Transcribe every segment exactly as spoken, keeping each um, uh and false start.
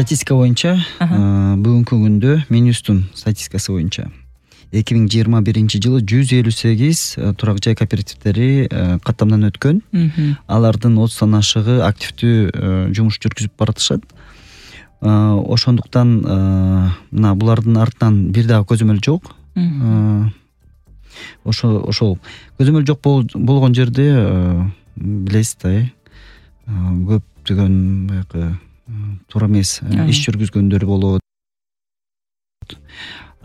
Статистика боюнча бүгүнкү күндө Минюстун статистикасы боюнча эки миң жыйырма биринчи жылы жүз элүү сегиз турак жай кооперативдери каттамдан өткөн. Алардын отуздан ашыгы активдүү жумуш жүргүзүп баратышат. Ошондуктан мына булардын артынан бир дагы көзөмөл жок. Ошо ошол көзөмөл жок болгон жерде билесиз да, көптөгөн баягы туура эмес иш жүргүзгөндөр болот.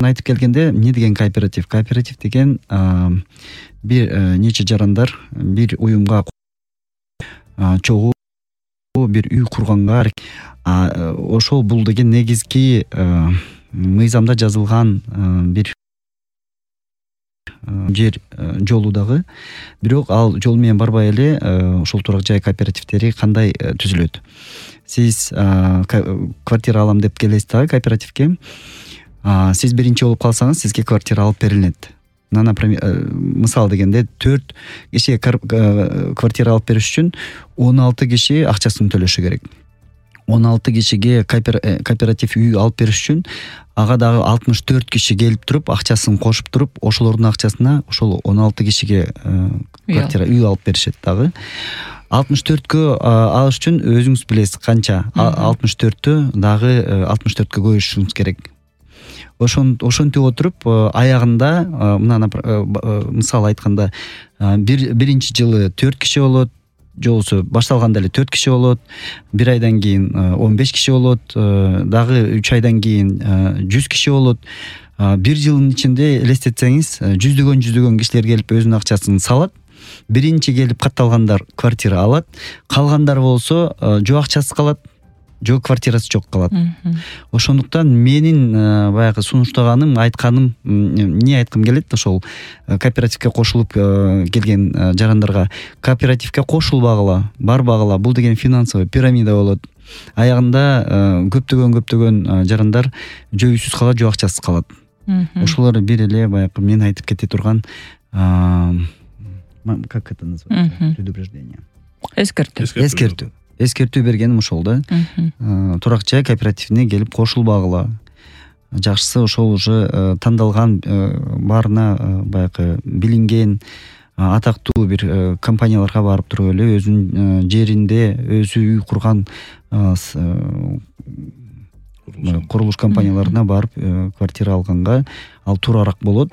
Айтып келгенде эмне деген кооператив? Кооператив деген бир нече жарандар бир уюмга чогуу бир үй курганга, ошол бул деген негизги мыйзамда жазылган бир жер жолу дагы. Бирок ал жол менен барбай эле ошол турак жай кооперативдери кандай түзүлөт? Сиз квартира алам деп келесиз дагы кооперативге. Сиз биринчи болуп калсаңыз, сизге квартира алып берилет. Мисал дегенде төрт кишиге квартира алып бериш үчүн он алты киши акчасын төлөшү керек. он алты кишиге кооператив үй алып бериш үчүн ага дагы алтымыш төрт киши келип туруп, акчасын кошуп туруп, ошолордун акчасына ошол он алты кишиге квартира үй алып беришет дагы. алтымыш төрткө алыш үчүн өзүңүз билесиз канча. алтымыш төрттү дагы алтымыш төрткө коюшуңуз керек. Ошентип отуруп аягында мына мисал айтканда биринчи жылы төрт киши болот, же болбосо башталганда эле төрт киши болот, бир айдан кийин он беш киши болот, дагы үч айдан кийин жүз киши болот. Бир жылдын ичинде элестетсеңиз, жүздөгөн жүздөгөн кишилер келип өзүнүн акчасын салат. Биринчи келип катталгандар квартира алат, калгандар болсо жок акчасы калат, жок квартирасы жок калат. Ошондуктан менин баягы сунуштаганым, айтканым, эмне айткым келет ошол кооперативге кошулуп келген жарандарга: кооперативге кошулбагыла, барбагыла. Бул деген финансовый пирамида болот. Аягында көптөгөн көптөгөн жарандар жөйсүз калат, жок акчасыз калат. Ошолор бир эле баягы мен айтып кете турган как это называется? Предупреждение. Эскертүү. Эскертүү. Эскертүү бергеним ошол да. Турак жай кооперативине келип кошулбагыла. Жакшысы ошол уже тандалган, баарына баягы билинген, атактуу бир компанияларга барып туруп эле өзүнүн жеринде өзү үй курган курулуш компанияларына барып квартира алганга ал туурараак болот.